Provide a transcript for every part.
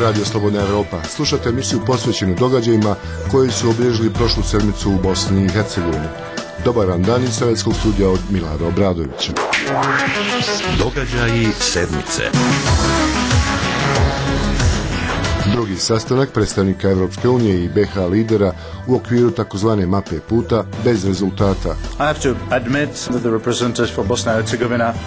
Radio Slobodna Evropa. Slušate emisiju posvećenu događajima koji su obilježili prošlu sedmicu u Bosni i Hercegovini. Dobar vam dan iz Sovjetskog studija od Milana Obradovića. Događaji sedmice. Drugi sastanak predstavnika Evropske unije i BiH lidera u okviru takozvane mape puta bez rezultata.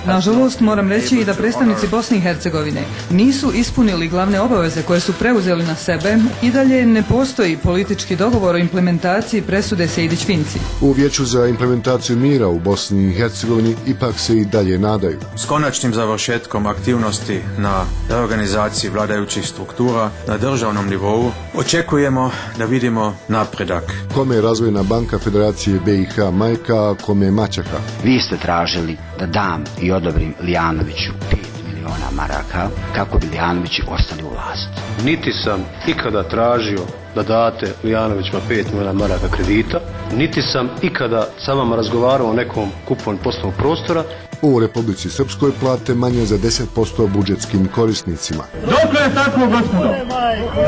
Nažalost, moram reći i da predstavnici Bosne i Hercegovine nisu ispunili glavne obaveze koje su preuzeli na sebe i dalje ne postoji politički dogovor o implementaciji presude Sejdić-Finci. U Vijeću za implementaciju mira u Bosni i Hercegovini ipak se i dalje nadaju. S konačnim završetkom aktivnosti na reorganizaciji vladajućih struktura na državnom nivou očekujemo da vidimo napredak. Kome je Razvojna banka Federacije BiH majka, a kome je maćeha? Vi ste tražili da dam i odobrim Lijanoviću 5 miliona maraka kako bi Lijanovići ostali u vlasti. Niti sam ikada tražio da date Lijanovićima 5 miliona maraka kredita, niti sam ikada sa vama razgovarao o nekom kupovanju poslovnog prostora. U Republici Srpskoj plate manje za 10% budžetskim korisnicima. Dokle je tako, gospodo?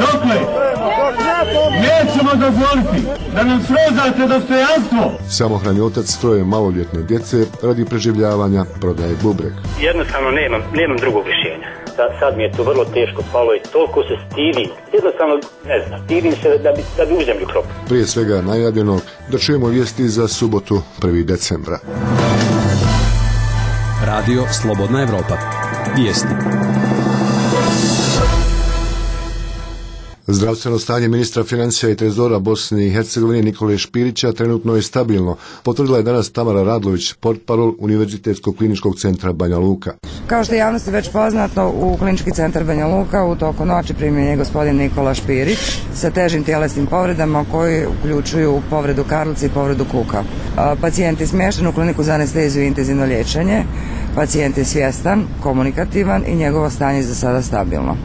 Dokle? Nećemo dozvoliti da nam srozate dostojanstvo. Samohrani otac troje maloljetne djece radi preživljavanja prodaje bubreg. Jednostavno nemam drugog rješenja. Sad mi je to vrlo teško palo i toliko se stidim. Jednostavno, ne znam, stidim se da bi u zemlju kropu. Prije svega najavljeno da čujemo vijesti za subotu 1. decembra. Radio Slobodna Evropa. Vijesti. Zdravstveno stanje ministra financija i trezora Bosne i Hercegovine Nikole Špirića trenutno je stabilno, potvrdila je danas Tamara Radlović, portparol Univerzitetskog kliničkog centra Banja Luka. Kao što je javnosti već poznato, u klinički centar Banja Luka u toku noći primljen je gospodin Nikola Špirić sa težim tjelesnim povredama koji uključuju povredu karlice i povredu kuka. Pacijent je smješten u kliniku za anesteziju i intenzivno liječenje. Pacijent je svjestan, komunikativan i njegovo stanje je za sada stabilno.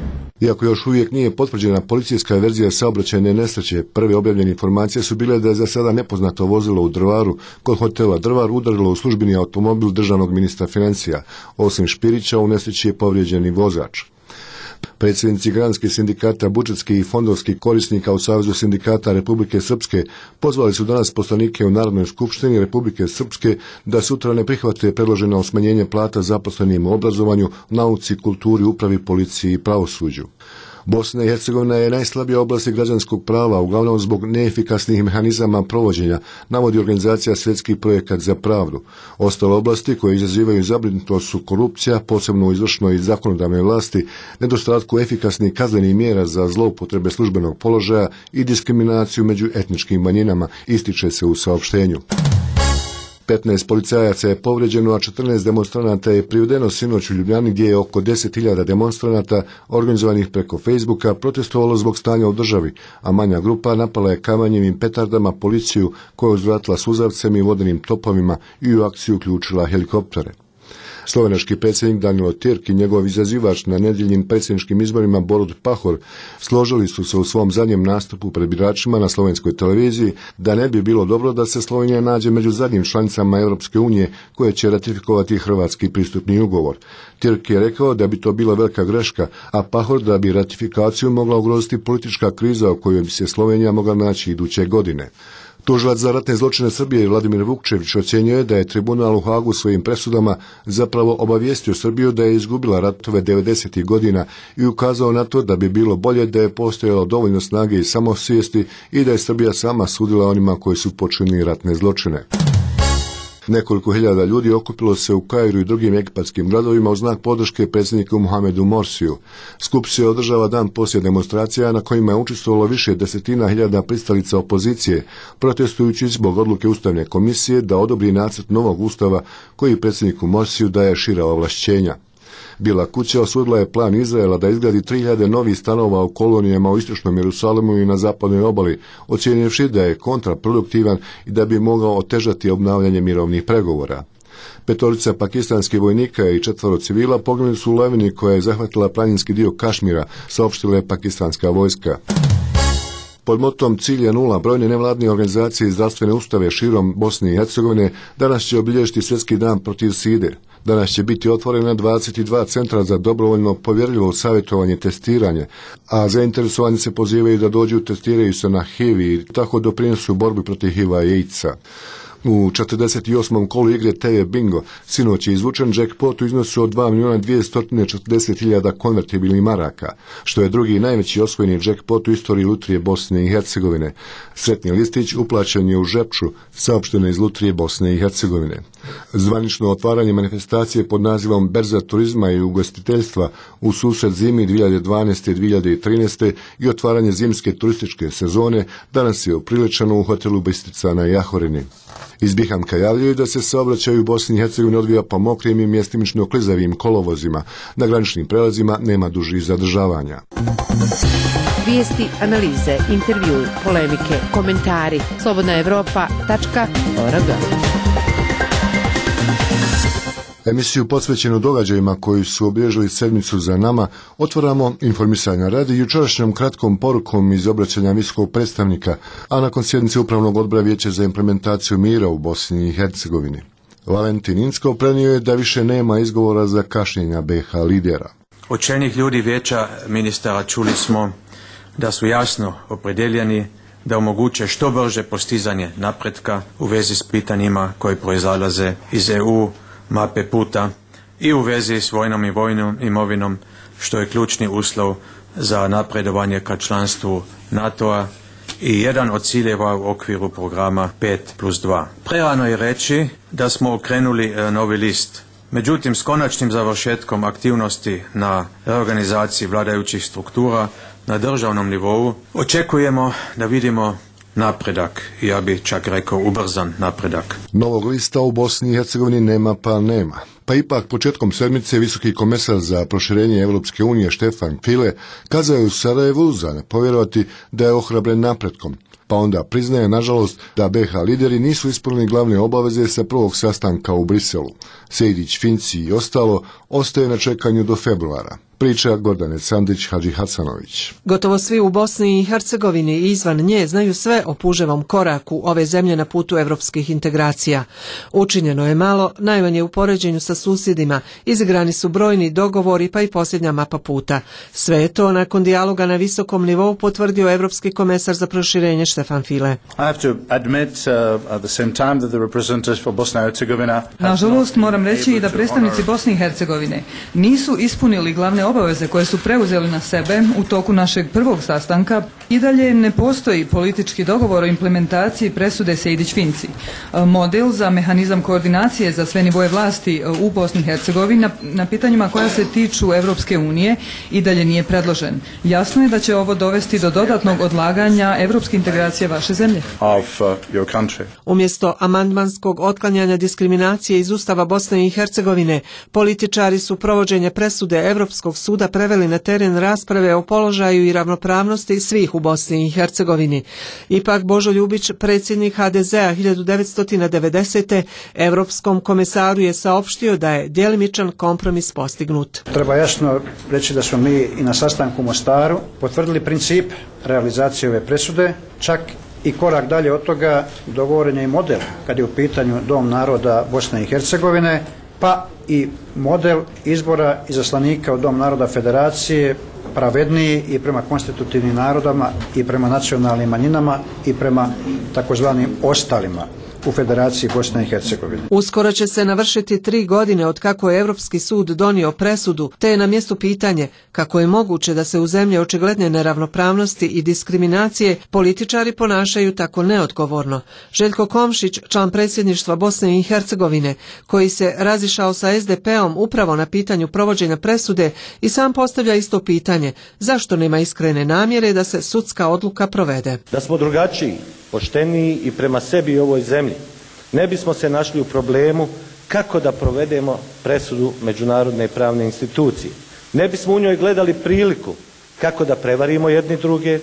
Iako još uvijek nije potvrđena policijska verzija saobraćajne nesreće, prve objavljene informacije su bile da je za sada nepoznato vozilo u Drvaru kod hotela Drvar udarilo u službeni automobil državnog ministra financija. Osim Špirića, u nesreći je povrijeđen i vozač. Predsjednici granskih sindikata budžetskih i fondovskih korisnika u Savezu sindikata Republike Srpske pozvali su danas poslanike u Narodnoj skupštini Republike Srpske da sutra ne prihvate predloženo smanjenje plata zaposlenim u obrazovanju, nauci, kulturi, upravi, policiji i pravosuđu. Bosna i Hercegovina je najslabija oblast građanskog prava, uglavnom zbog neefikasnih mehanizama provođenja, navodi organizacija Svjetski projekat za pravdu. Ostale oblasti koje izazivaju zabrinutost su korupcija, posebno u izvršnoj i zakonodavnoj vlasti, nedostatku efikasnih kaznenih mjera za zloupotrebe službenog položaja i diskriminaciju među etničkim manjinama, ističe se u saopštenju. 15 policajaca je povrijeđeno, a 14 demonstranata je privedeno sinoć u Ljubljani gdje je oko 10.000 demonstranata organizovanih preko Facebooka protestovalo zbog stanja u državi, a manja grupa napala je kamenjem i petardama policiju koja je uzvratila suzavcem i vodenim topovima i u akciju uključila helikoptere. Slovenački predsjednik Danilo Tirk i njegov izazivač na nedjeljnim predsjedničkim izborima Borut Pahor složili su se u svom zadnjem nastupu pred biračima na slovenskoj televiziji da ne bi bilo dobro da se Slovenija nađe među zadnjim članicama Europske unije koje će ratifikovati hrvatski pristupni ugovor. Tirk je rekao da bi to bila velika greška, a Pahor da bi ratifikaciju mogla ugroziti politička kriza u kojoj bi se Slovenija mogla naći iduće godine. Tužilac za ratne zločine Srbije Vladimir Vukčević ocjenjuje da je tribunal u Hagu svojim presudama zapravo obavijestio Srbiju da je izgubila ratove 90. godina i ukazao na to da bi bilo bolje da je postojalo dovoljno snage i samosvijesti i da je Srbija sama sudila onima koji su počinili ratne zločine. Nekoliko hiljada ljudi okupilo se u Kairu i drugim egipatskim gradovima u znak podrške predsjedniku Mohamedu Morsiju. Skup se održava dan poslije demonstracija na kojima je učestvovalo više desetina hiljada pristalica opozicije, protestujući zbog odluke Ustavne komisije da odobri nacrt novog ustava koji predsjedniku Morsiju daje šira ovlašćenja. Bijela kuća osudila je plan Izraela da izgradi 3000 novih stanova u kolonijama u istočnom Jerusalimu i na zapadnoj obali, ocijenivši da je kontraproduktivan i da bi mogao otežati obnavljanje mirovnih pregovora. 5 pakistanskih vojnika i 4 civila poginuli su u lavini koja je zahvatila planinski dio Kašmira, saopštila je pakistanska vojska. Pod motom Cilj je nula brojne nevladine organizacije i zdravstvene ustanove širom Bosne i Hercegovine danas će obilježiti Svjetski dan protiv side. Danas će biti otvorena 22 centra za dobrovoljno povjerljivo savjetovanje i testiranje, a zainteresovani se pozivaju da dođu testiraju se na HIV i tako doprinesu borbi protiv HIV-a i AIDS-a. U 48. kolu igre TV Bingo sinoć je izvučen jackpot u iznosu od 2.240.000 konvertibilnih maraka, što je drugi najveći osvojeni jackpot u istoriji lutrije Bosne i Hercegovine. Sretni listić uplaćen je u Žepču, saopšteno iz lutrije Bosne i Hercegovine. Zvanično otvaranje manifestacije pod nazivom Berza turizma i ugostiteljstva u susret zimi 2012. i 2013. i otvaranje zimske turističke sezone danas je upriličeno u hotelu Bistrica na Jahorini. Iz Bihamka javljaju da se saobraćaj u Bosni i Hercegovini odvija po mokrim i mjestimično klizavim kolovozima. Na graničnim prelazima nema dužih zadržavanja. Vijesti, analize, intervju, polemike, komentari. slobodnaevropa.org. Emisiju posvećenu događajima koji su obilježili sedmicu za nama otvaramo informisanja radi jučerašnjom kratkom porukom iz obraćanja visokog predstavnika, a nakon sjednice Upravnog odbora Vijeća za implementaciju mira u Bosni i Hercegovini. Valentin Incko prenio je da više nema izgovora za kašnjenja BiH lidera. Od čelnih ljudi Vijeća ministara čuli smo da su jasno opredjeljeni da omoguće što brže postizanje napretka u vezi s pitanjima koji proizlaze iz EU mape puta i u vezi s vojnom i vojnom imovinom, što je ključni uslov za napredovanje ka članstvu NATO-a i jedan od ciljeva u okviru programa 5+2. Prerano je reći da smo okrenuli novi list. Međutim, s konačnim završetkom aktivnosti na reorganizaciji vladajućih struktura na državnom nivou očekujemo da vidimo napredak, ja bih čak rekao ubrzan napredak. Novog lista u Bosni i Hercegovini nema pa nema. Pa ipak početkom sedmice visoki komesar za proširenje Europske unije Stefan Füle kazao je u Sarajevu za ne povjerovati da je ohrabren napretkom. Pa onda priznaje, nažalost, da BiH lideri nisu ispunili glavne obaveze sa prvog sastanka u Briselu. Sejdić, Finci i ostalo ostaje na čekanju do februara. Priča Gordane Sandić Hadžihasanović. Gotovo svi u Bosni i Hercegovini i izvan nje znaju sve o puževom koraku ove zemlje na putu evropskih integracija. Učinjeno je malo, najmanje u poređenju sa susjedima, izigrani su brojni dogovori pa i posljednja mapa puta. Sve je to nakon dijaloga na visokom nivou potvrdio evropski komesar za proširenje Stefan Füle. Nažalost, moram reći i da predstavnici Bosne i Hercegovine nisu ispunili glavne obaveze koje su preuzeli na sebe u toku našeg prvog sastanka. I dalje ne postoji politički dogovor o implementaciji presude Sejdić-Finci. Model za mehanizam koordinacije za sve nivoje vlasti u Bosni i Hercegovini na pitanjima koja se tiču Europske unije i dalje nije predložen. Jasno je da će ovo dovesti do dodatnog odlaganja europske integracije vaše zemlje. Umjesto amandmanskog otklanjanja diskriminacije iz Ustava Bosne i Hercegovine, političari su provođenje presude Europskog suda preveli na teren rasprave o položaju i ravnopravnosti svih u Bosni i Hercegovini. Ipak Božo Ljubić, predsjednik HDZ-a 1990. Europskom komesaru je saopštio da je djelimičan kompromis postignut. Treba jasno reći da smo mi i na sastanku u Mostaru potvrdili princip realizacije ove presude, čak i korak dalje od toga dogovoren je i model kad je u pitanju Dom naroda Bosne i Hercegovine, pa i model izbora izaslanika u Dom naroda Federacije pravedniji i prema konstitutivnim narodama i prema nacionalnim manjinama i prema takozvanim ostalima u Federaciji Bosne i Hercegovine. Uskoro će se navršiti 3 godine od kako je Europski sud donio presudu, te je na mjestu pitanje kako je moguće da se u zemlji očigledne neravnopravnosti i diskriminacije političari ponašaju tako neodgovorno. Željko Komšić, član predsjedništva Bosne i Hercegovine, koji se razišao sa SDP-om upravo na pitanju provođenja presude, i sam postavlja isto pitanje: zašto nema iskrene namjere da se sudska odluka provede? Da smo drugačiji, pošteniji i prema sebi i ovoj zemlji, ne bismo se našli u problemu kako da provedemo presudu međunarodne pravne institucije. Ne bismo u njoj gledali priliku kako da prevarimo jedni druge,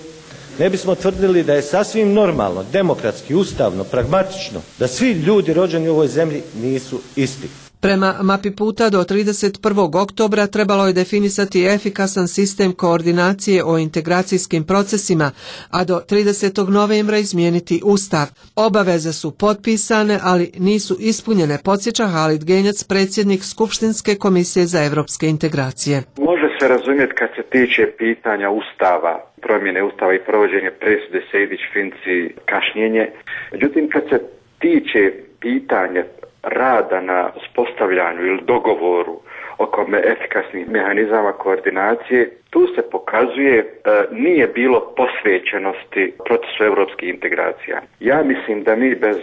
ne bismo tvrdili da je sasvim normalno, demokratski, ustavno, pragmatično, da svi ljudi rođeni u ovoj zemlji nisu isti. Prema mapi puta do 31. oktobra trebalo je definisati efikasan sistem koordinacije o integracijskim procesima, a do 30. novembra izmijeniti Ustav. Obaveze su potpisane, ali nisu ispunjene, podsjeća Halid Genjac, predsjednik Skupštinske komisije za evropske integracije. Može se razumjeti kad se tiče pitanja Ustava, promjene Ustava i provođenje presude Sejdić-Finci kašnjenje. Međutim, kad se tiče pitanja rada na uspostavljanju ili dogovoru oko efikasnih mehanizama koordinacije, tu se pokazuje nije bilo posvećenosti procesu europskih integracija. Ja mislim da mi bez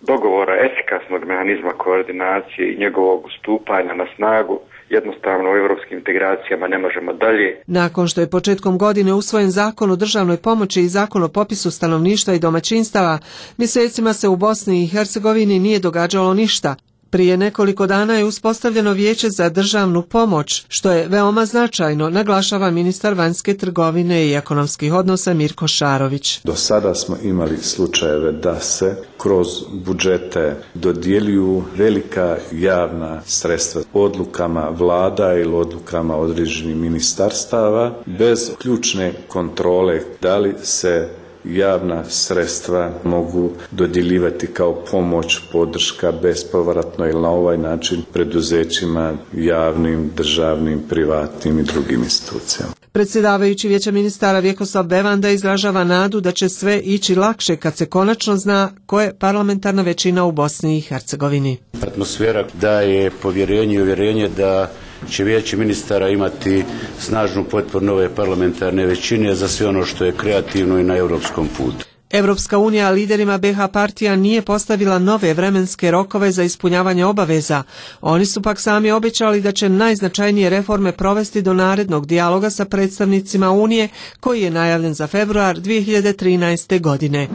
dogovora efikasnog mehanizma koordinacije i njegovog stupanja na snagu jednostavno u europskim integracijama ne možemo dalje. Nakon što je početkom godine usvojen zakon o državnoj pomoći i zakon o popisu stanovništva i domaćinstava, mjesecima se u Bosni i Hercegovini nije događalo ništa. Prije nekoliko dana je uspostavljeno Vijeće za državnu pomoć, što je veoma značajno, naglašava ministar vanjske trgovine i ekonomskih odnosa Mirko Šarović. Do sada smo imali slučajeve da se kroz budžete dodjeljuju velika javna sredstva odlukama vlada ili odlukama određenih ministarstava bez ključne kontrole da li se javna sredstva mogu dodjeljivati kao pomoć, podrška bespovratno ili na ovaj način preduzećima javnim, državnim, privatnim i drugim institucijama. Predsjedavajući Vijeća ministara Vjekoslav Bevanda izražava nadu da će sve ići lakše kad se konačno zna ko je parlamentarna većina u Bosni i Hercegovini. Atmosfera daje povjerenje i uvjerenje da će Vijeće ministara imati snažnu potporu nove parlamentarne većine za sve ono što je kreativno i na europskom putu. Europska unija liderima BiH partija nije postavila nove vremenske rokove za ispunjavanje obaveza. Oni su pak sami obećali da će najznačajnije reforme provesti do narednog dijaloga sa predstavnicima Unije koji je najavljen za februar 2013. godine.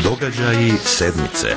Događaji sedmice.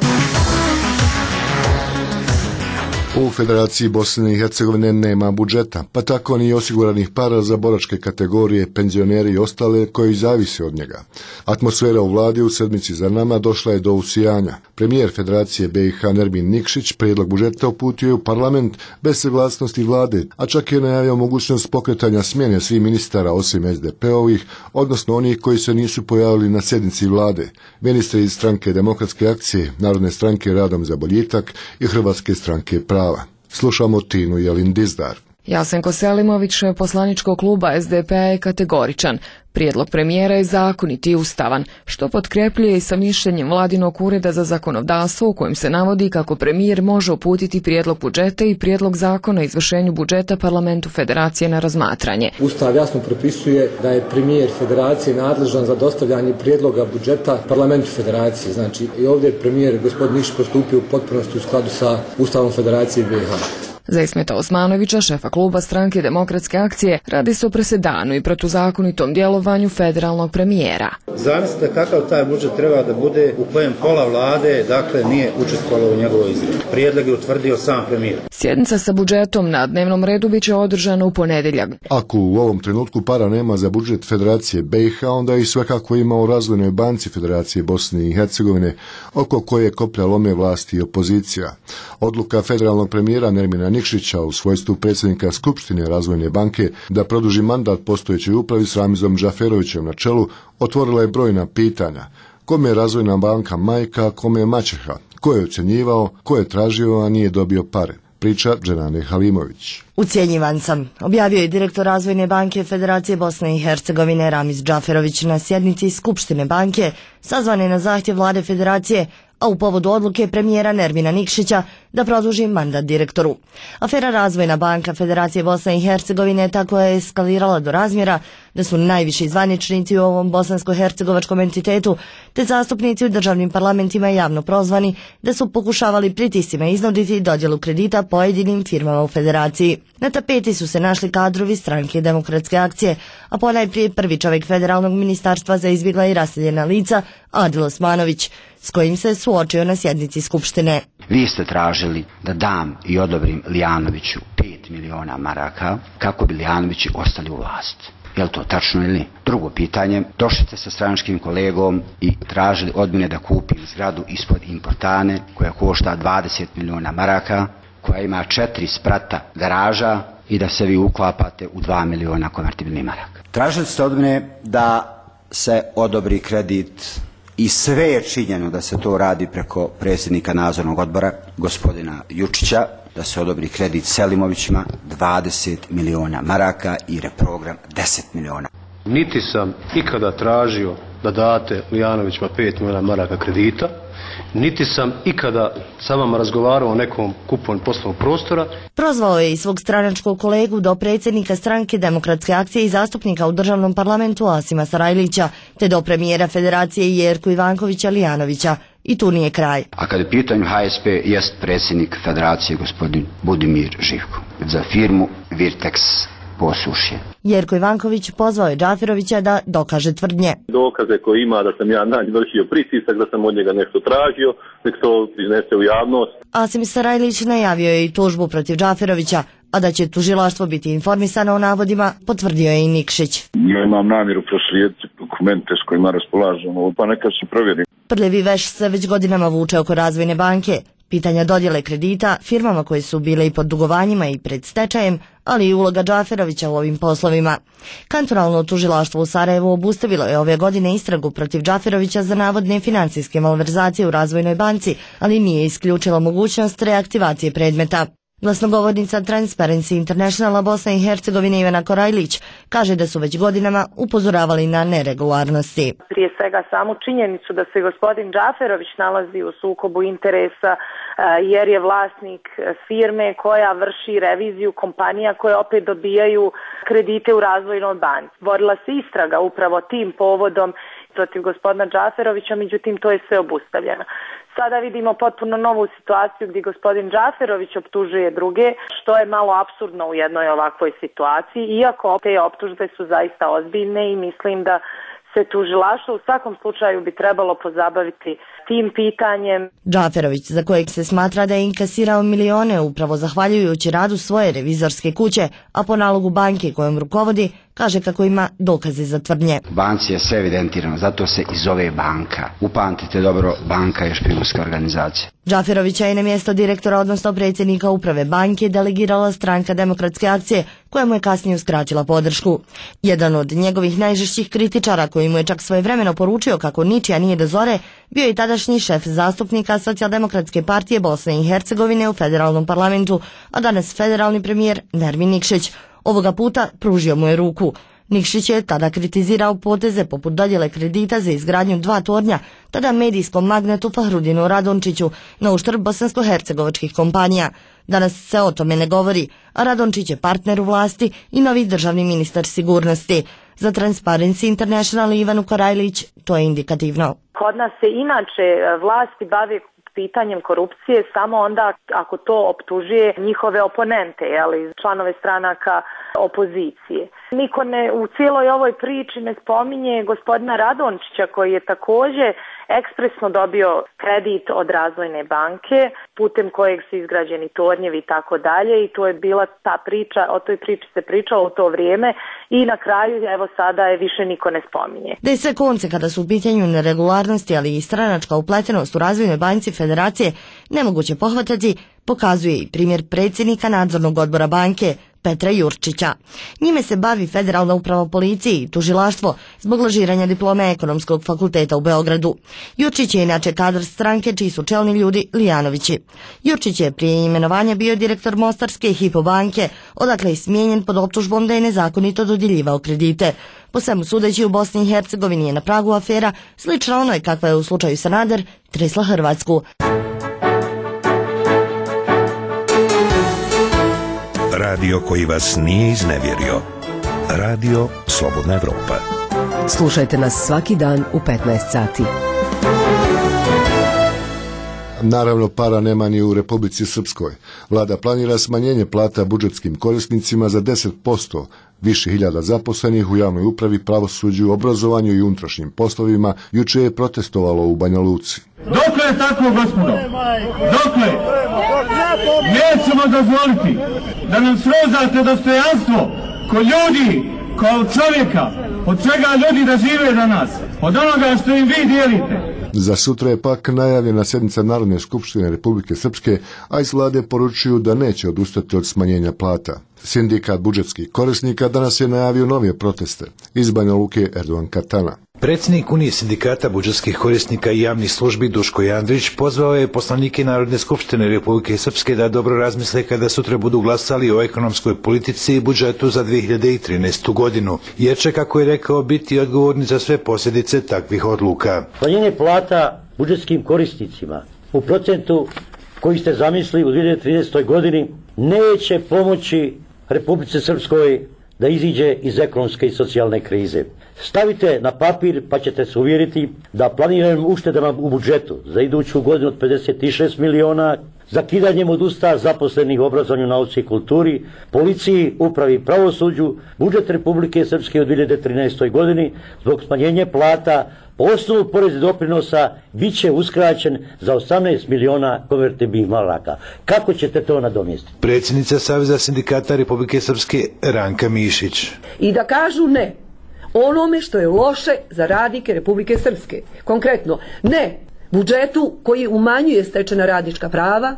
U Federaciji Bosne i Hercegovine nema budžeta, pa tako ni osiguranih para za boračke kategorije, penzioneri i ostale koji zavise od njega. Atmosfera u vladi u sedmici za nama došla je do usijanja. Premijer Federacije BiH Nermin Nikšić prijedlog budžeta uputio je u parlament bez saglasnosti vlade, a čak je najavio mogućnost pokretanja smjene svih ministara osim SDP-ovih, odnosno onih koji se nisu pojavili na sjednici vlade. Ministri iz Stranke demokratske akcije, Narodne stranke Radom za boljitak i Hrvatske stranke prava. Slušamo Tinu Jelin Dizdar. Jasenko Selimović, poslaničkog kluba SDP-a, je kategoričan. Prijedlog premijera je zakonit i ustavan, što potkrepljuje i sa mišljenjem Vladinog ureda za zakonodavstvo u kojem se navodi kako premijer može uputiti prijedlog budžeta i prijedlog zakona o izvršenju budžeta Parlamentu Federacije na razmatranje. Ustav jasno propisuje da je premijer Federacije nadležan za dostavljanje prijedloga budžeta Parlamentu Federacije. Znači i ovdje je premijer gospodin Nikšić postupio u potpunosti u skladu sa Ustavom Federacije BiH. Za Ismeta Osmanovića, šefa kluba Stranke demokratske akcije, radi se o presedanu i protuzakonitom djelovanju federalnog premijera. Zamislite kakav taj budžet treba da bude u kojem pola vlade, dakle, nije učestvovalo u njegovoj izradi. Prijedlog je utvrdio sam premijer. Sjednica sa budžetom na dnevnom redu biće održana u ponedjeljak. Ako u ovom trenutku para nema za budžet Federacije BiH, onda i svakako ima u Razvojnoj banci Federacije Bosne i Hercegovine, oko koje koplja lome vlasti i opozicija. Odluka federalnog premijera Nermina Nikšića u svojstvu predsjednika Skupštine Razvojne banke da produži mandat postojećoj upravi s Ramizom Džaferovićem na čelu otvorila je brojna pitanja. Kome je Razvojna banka majka, kome je maćeha? Ko je ocjenjivao, ko je tražio, a nije dobio pare? Priča Dženane Halimović. Ucjenjivan sam, objavio je direktor Razvojne banke Federacije Bosne i Hercegovine Ramiz Džaferović na sjednici Skupštine banke, sazvane na zahtjev vlade Federacije, a u povodu odluke premijera Nermina Nikšića da produži mandat direktoru. Afera Razvojna banka Federacije Bosne i Hercegovine tako je eskalirala do razmjera da su najviši zvaničnici u ovom bosansko-hercegovačkom entitetu te zastupnici u državnim parlamentima javno prozvani da su pokušavali pritiscima iznuditi dodjelu kredita pojedinim firmama u Federaciji. Na tapeti su se našli kadrovi Stranke demokratske akcije, a ponajprije prvi čovjek Federalnog ministarstva za izbjegla i raseljena lica Adil Osmanović, s kojim se suočio na sjednici Skupštine. Vi ste tražili da dam i odobrim Lijanoviću 5 miliona maraka kako bi Lijanovići ostali u vlast. Je li to tačno ili? Drugo pitanje, došli ste sa stranačkim kolegom i tražili od mene da kupim zgradu ispod Importane koja košta 20 miliona maraka, koja ima 4 sprata garaža i da se vi uklapate u 2 miliona konvertibilnih maraka. Tražili ste od mene da se odobri kredit i sve je činjeno da se to radi preko predsjednika nadzornog odbora, gospodina Jučića, da se odobri kredit Selimovićima 20 miliona maraka i reprogram 10 miliona. Niti sam ikada tražio da date Lijanovićima 5 miliona maraka kredita, niti sam ikada sa vama razgovarao o nekom kupovanju poslovnog prostora. Prozvao je i svog stranačkog kolegu do predsjednika stranke Demokratske akcije i zastupnika u državnom parlamentu Asima Sarajlića, te do premijera Federacije Jerku Ivankovića Lijanovića. I tu nije kraj. A kada je pitanju HSP, jest predsjednik Federacije gospodin Budimir Živko za firmu Virtex Posušje. Jerko Ivanković pozvao je Džaferovića da dokaže tvrdnje. Dokaze koje ima da sam ja na njih vršio pritisak, da sam od njega nešto tražio, nek to iznese u javnost. Asim Sarajlić najavio je i tužbu protiv Džaferovića, a da će tužilaštvo biti informisano o navodima, potvrdio je i Nikšić. Ja imam namjeru proslijediti dokumente s kojima raspolažemo, pa neka se provjeri. Prljavi veš se već godinama vuče oko Razvojne banke. Pitanja dodjele kredita firmama koje su bile i pod dugovanjima i pred stečajem, ali i uloga Džaferovića u ovim poslovima. Kantonalno tužilaštvo u Sarajevu obustavilo je ove godine istragu protiv Džaferovića za navodne financijske malverzacije u Razvojnoj banci, ali nije isključila mogućnost reaktivacije predmeta. Glasnogovornica Transparency Internationala Bosne i Hercegovine Ivana Korajlić kaže da su već godinama upozoravali na neregularnosti. Prije svega samu činjenicu da se gospodin Džaferović nalazi u sukobu interesa jer je vlasnik firme koja vrši reviziju kompanija koje opet dobijaju kredite u Razvojnoj banci. Vodila se istraga upravo tim povodom protiv gospodina Džaferovića, međutim to je sve obustavljeno. Sada vidimo potpuno novu situaciju gdje gospodin Džaferović optužuje druge, što je malo apsurdno u jednoj ovakvoj situaciji, iako te optužbe su zaista ozbiljne i mislim da se tužilaštvo u svakom slučaju bi trebalo pozabaviti tim pitanjem. Džaferović, za kojeg se smatra da je inkasirao milione upravo zahvaljujući radu svoje revizorske kuće, a po nalogu banke kojom rukovodi, kaže kako ima dokaze za tvrdnje. U banci je sve evidentirano, zato se i zove banka. Upamtite dobro, banka je špijunska organizacija. Džaferovića je na mjesto direktora, odnosno predsjednika uprave banke, delegirala stranka Demokratske akcije, koja mu je kasnije uskratila podršku. Jedan od njegovih najžešćih kritičara, koji mu je čak svojevremeno poručio kako ničija nije do zore, bio je tadašnji šef zastupnika Socijaldemokratske partije Bosne i Hercegovine u federalnom parlamentu, a danas federalni premijer Nermin Nikšić. Ovoga puta pružio mu je ruku. Nikšić je tada kritizirao poteze poput dodjele kredita za izgradnju 2 tornja, tada medijskom magnetu Fahrudinu Radončiću, na uštrb bosansko-hercegovačkih kompanija. Danas se o tome ne govori, a Radončić je partner u vlasti i novi državni ministar sigurnosti. Za Transparency International Ivanu Korajlić to je indikativno. Kod nas se inače vlasti bave pitanjem korupcije samo onda ako to optužuje njihove oponente, članove stranaka opozicije. Niko u cijeloj ovoj priči ne spominje gospodina Radončića koji je također ekspresno dobio kredit od Razvojne banke putem kojeg su izgrađeni tornjevi i tako dalje i to je bila ta priča, o toj priči se pričalo u to vrijeme i na kraju evo sada je više niko ne spominje. Da je sve konce kada su u pitanju neregularnosti, ali i stranačka upletenost u Razvojnoj banci Federacije nemoguće pohvatati, pokazuje i primjer predsjednika nadzornog odbora banke Petra Jurčića. Njime se bavi Federalna uprava policije i tužilaštvo zbog lažiranja diplome Ekonomskog fakulteta u Beogradu. Jurčić je inače kadar stranke čiji su čelni ljudi Lijanovići. Jurčić je prije imenovanja bio direktor Mostarske Hypo banke, odakle je smijenjen pod optužbom da je nezakonito dodjeljivao kredite. Po svemu sudeći u Bosni i Hercegovini je na pragu afera slična onoj kakva je u slučaju Sanader tresla Hrvatsku. Radio koji vas nije iznevjerio. Radio Slobodna Evropa. Slušajte nas svaki dan u 15 sati. Naravno, para nema ni u Republici Srpskoj. Vlada planira smanjenje plata budžetskim korisnicima za 10%, više hiljada zaposlenih u javnoj upravi, pravosuđu, obrazovanju i unutrašnjim poslovima juče je protestovalo u Banja Luci. Dokle je tako, gospodo? Dokle? Nećemo dozvoliti da nam srozate dostojanstvo ko ljudi kao čovjeka, od čega ljudi da žive danas, od onoga što im vi dijelite. Za sutra je pak najavljena sjednica Narodne skupštine Republike Srpske, a iz vlade poručuju da neće odustati od smanjenja plata. Sindikat budžetskih korisnika danas je najavio nove proteste. Iz Banja Luke Erdogan Katana. Predsjednik Unije sindikata budžetskih korisnika i javnih službi Duško Jandrić pozvao je poslanike Narodne skupštine Republike Srpske da dobro razmisle kada sutra budu glasali o ekonomskoj politici i budžetu za 2013. godinu, jer će, kako je rekao, biti odgovorni za sve posljedice takvih odluka. Smanjenje plata budžetskim korisnicima u procentu koji ste zamislili u 2013. godini neće pomoći Republici Srpskoj da iziđe iz ekonomske i socijalne krize. Stavite na papir pa ćete se uvjeriti da planiranim uštedama u budžetu za iduću godinu od 56 miliona, zakidanjem od usta zaposlenih u obrazovanju, nauci i kulturi, policiji, upravi i pravosuđu, budžet Republike Srpske u 2013. godini zbog smanjenja plata po osnovu poreza i doprinosa bit će uskraćen za 18 miliona konvertibilnih maraka. Kako ćete to nadomjestiti? Predsjednica Saveza sindikata Republike Srpske Ranka Mišić. I da kažu ne onome što je loše za radnike Republike Srpske. Konkretno, ne budžetu koji umanjuje stečena radnička prava,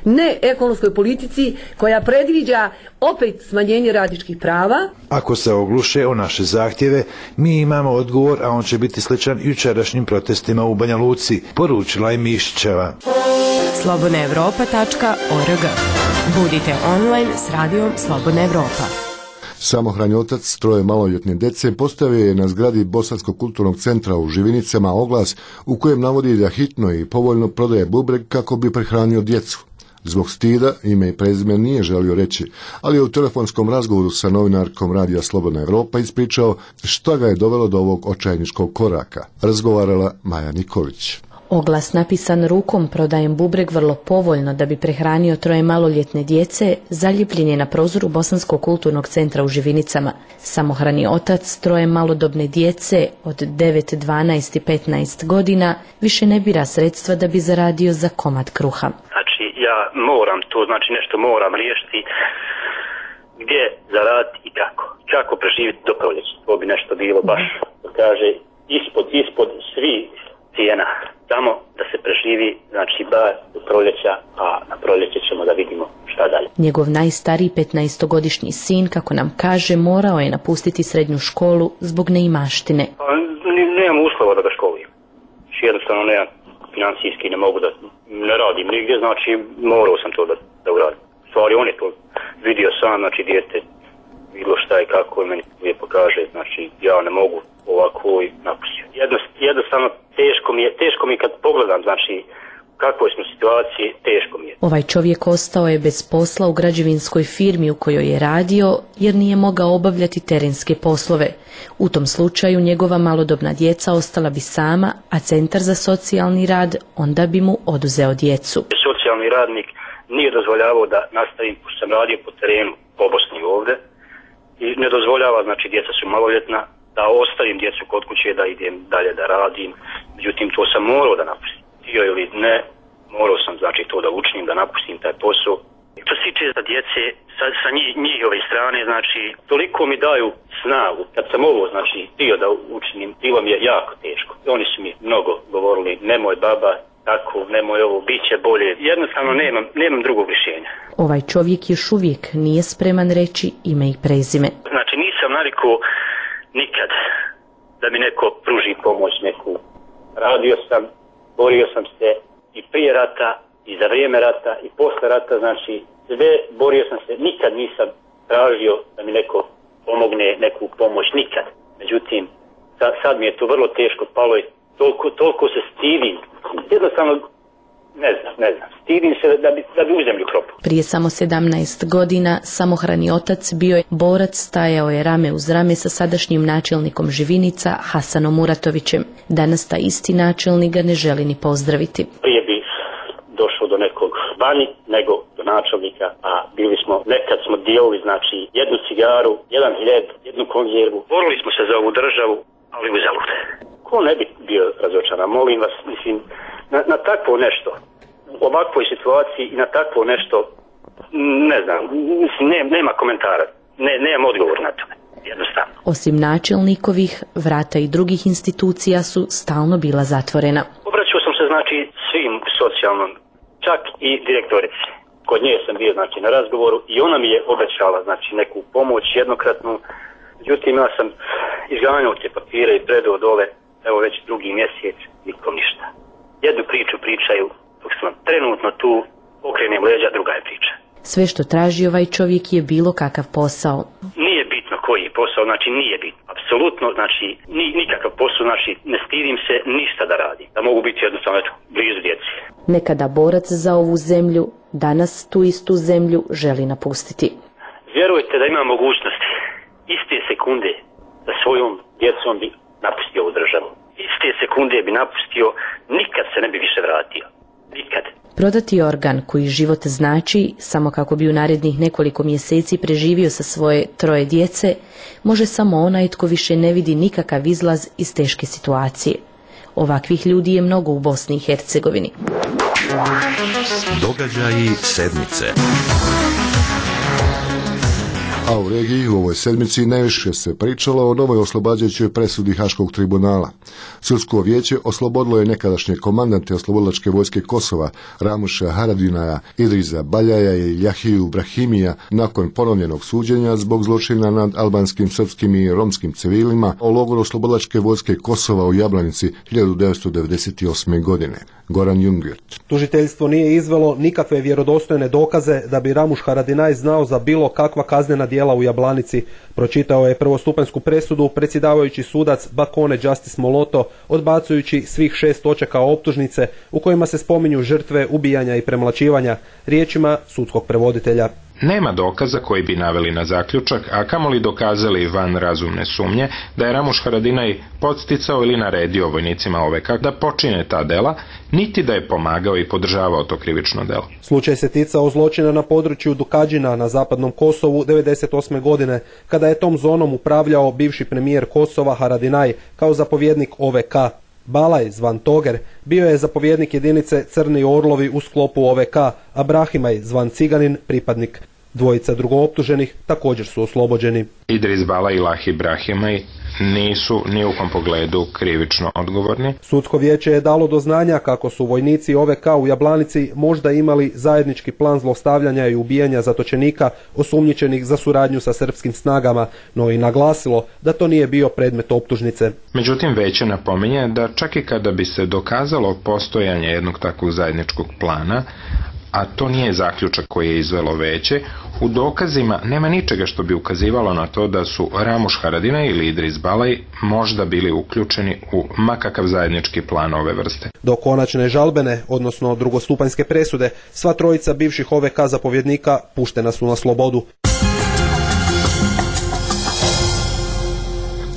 ne ekonomskoj politici koja predviđa opet smanjenje radničkih prava. Ako se ogluše o naše zahtjeve, mi imamo odgovor, a on će biti sličan jučerašnjim protestima u Banja Luci, poručila je Mišićeva. slobodnaevropa.org. Budite online s radijom Slobodna Evropa. Samohrani otac troje maloljetne djece postavio je na zgradi Bosanskog kulturnog centra u Živinicama oglas u kojem navodi da hitno i povoljno prodaje bubreg kako bi prehranio djecu. Zbog stida ime i prezime nije želio reći, ali je u telefonskom razgovoru sa novinarkom radija Slobodna Evropa ispričao šta ga je dovelo do ovog očajničkog koraka. Razgovarala Maja Nikolić. Oglas napisan rukom prodajem bubreg vrlo povoljno da bi prehranio troje maloljetne djece zaljepljen je na prozoru Bosanskog kulturnog centra u Živinicama. Samohrani otac troje malodobne djece od 9, 12 i 15 godina više ne bira sredstva da bi zaradio za komad kruha. Znači ja moram to, znači nešto moram riješiti gdje zaraditi i kako. Kako preživjeti do proljeća. To bi nešto bilo baš, kaže, ispod svi cijena. Samo da se preživi, znači bar do proljeća, a na proljeće ćemo da vidimo šta dalje. Njegov najstariji 15-godišnji sin, kako nam kaže, morao je napustiti srednju školu zbog neimaštine. Nemam uslova da ga školujem. Jednostavno nemam financijski, ne mogu da ne radim nigdje, znači morao sam to da uradim. Stvari on je to vidio sam, znači dijete bilo šta i kako meni lijepo kaže, znači ja ne mogu ovako i napustio. Jednostavno teško mi kad pogledam, znači u kakvoj smo situaciji, teško mi je. Ovaj čovjek ostao je bez posla u građevinskoj firmi u kojoj je radio jer nije mogao obavljati terenske poslove. U tom slučaju njegova malodobna djeca ostala bi sama, a Centar za socijalni rad onda bi mu oduzeo djecu. Socijalni radnik nije dozvoljavao da nastavim, pošto sam radio po terenu po Bosni ovdje, i ne dozvoljava, znači djeca su maloljetna, da ostavim djecu kod kuće, da idem dalje da radim. Međutim, to sam morao da napustim. Htio ili ne, morao sam znači to da učinim, da napustim taj posao. Što se tiče za djece, sa njihove strane, znači, toliko mi daju snagu. Kad sam ovo, znači, htio da učinim, bilo mi je jako teško. Oni su mi mnogo govorili, nemoj baba, tako, nemoj ovo, bit će bolje. Jednostavno nemam drugog rješenja. Ovaj čovjek još uvijek nije spreman reći ime i prezime. Znači, nisam navikao nikad da mi neko pruži pomoć neku. Radio sam, borio sam se i prije rata, i za vrijeme rata, i posle rata, znači sve borio sam se, nikad nisam tražio da mi neko pomogne, neku pomoć, nikad. Međutim, sad mi je to vrlo teško palo i toliko se stidim. Jednostavno, ne znam, stidim se da bi u zemlju propao. Prije samo 17 godina samohrani otac bio je borac, stajao je rame uz rame sa sadašnjim načelnikom Živinica Hasanom Muratovićem. Danas taj isti načelnik ga ne želi ni pozdraviti. Prije bi došao do nekog vani nego do načelnika, a nekad smo dijelili, znači, jednu cigaru, jedan hljeb, jednu konzervu. Borili smo se za ovu državu, ali uzalud. Ko ne bi bio razočaran, molim vas, mislim, na takvo nešto, u ovakvoj situaciji i na takvo nešto, ne znam, mislim, nema komentara, nemam odgovor na to. jednostavno. Osim načelnikovih, vrata i drugih institucija su stalno bila zatvorena. Obraćao sam se znači svim socijalnom, čak i direktorici. Kod nje sam bio znači na razgovoru i ona mi je obećala znači neku pomoć jednokratnu. Međutim, ja sam izganjao te papire i predao dole, evo već drugi mjesec, nikom ništa. Jednu priču pričaju, dok sam trenutno tu, okrenem leđa, druga je priča. Sve što traži ovaj čovjek je bilo kakav posao. Nije bitno koji je posao, znači nije bitno. Apsolutno, znači nikakav posao, znači ne stidim se ništa da radim. Da mogu biti jednostavno blizu djeci. Nekada borac za ovu zemlju, danas tu istu zemlju želi napustiti. Vjerujte da ima mogućnosti iste sekunde da svojom djecom bi napustio ovu državu. Iste sekunde bi napustio, nikad se ne bi više vratio. Nikad. Prodati organ koji život znači, samo kako bi u narednih nekoliko mjeseci preživio sa svoje 3 djece, može samo onaj tko više ne vidi nikakav izlaz iz teške situacije. Ovakvih ljudi je mnogo u Bosni i Hercegovini. Događaji sedmice. A u regiji u ovoj sedmici najviše se pričalo o novoj oslobađajućoj presudi Haškog tribunala. Sudsko vijeće oslobodilo je nekadašnje komandante oslobodilačke vojske Kosova, Ramuša Haradinaja, Idriza Baljaja i Jahiju Brahimija nakon ponovljenog suđenja zbog zločina nad albanskim, srpskim i romskim civilima o logoru oslobodilačke vojske Kosova u Jablanici 1998. godine. Goran Jungwirth. Tužiteljstvo nije izvelo nikakve vjerodostojne dokaze da bi Ramuš Haradinaj znao za bilo kakva kaznena djela u Jablanici. Pročitao je prvostupanjsku presudu predsjedavajući sudac Bakone Justice Moloto, odbacujući svih 6 točaka optužnice u kojima se spominju žrtve ubijanja i premlaćivanja, riječima sudskog prevoditelja. Nema dokaza koji bi naveli na zaključak, a kamoli dokazali van razumne sumnje da je Ramuš Haradinaj podsticao ili naredio vojnicima OVK da počine ta dela, niti da je pomagao i podržavao to krivično delo. Slučaj se ticao zločina na području Dukadžina na zapadnom Kosovu 1998. godine, kada je tom zonom upravljao bivši premijer Kosova Haradinaj kao zapovjednik OVK. Balaj, zvan Toger, bio je zapovjednik jedinice Crni Orlovi u sklopu OVK, a Brahimaj, zvan Ciganin, pripadnik. Dvojica drugooptuženih također su oslobođeni. Idris Balaj i Lahi Brahimaj nisu ni u kom pogledu krivično odgovorni. Sudsko vijeće je dalo do znanja kako su vojnici OVK u Jablanici možda imali zajednički plan zlostavljanja i ubijanja zatočenika osumnjičenih za suradnju sa srpskim snagama, no i naglasilo da to nije bio predmet optužnice. Međutim, vijeće napominje da čak i kada bi se dokazalo postojanje jednog takvog zajedničkog plana, a to nije zaključak koji je izvelo vijeće, u dokazima nema ničega što bi ukazivalo na to da su Ramuš Haradinaj ili Idris Balaj možda bili uključeni u makakav zajednički plan ove vrste. Do konačne žalbene, odnosno drugostupanjske presude, sva trojica bivših OVK zapovjednika puštena su na slobodu.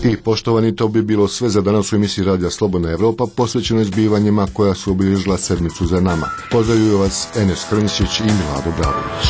I poštovani, to bi bilo sve za danas u emisiji Radija Slobodna Evropa posvećeno zbivanjima koja su obilježila sedmicu za nama. Pozdravljuju vas Enes Krnčić i Milado Bravović.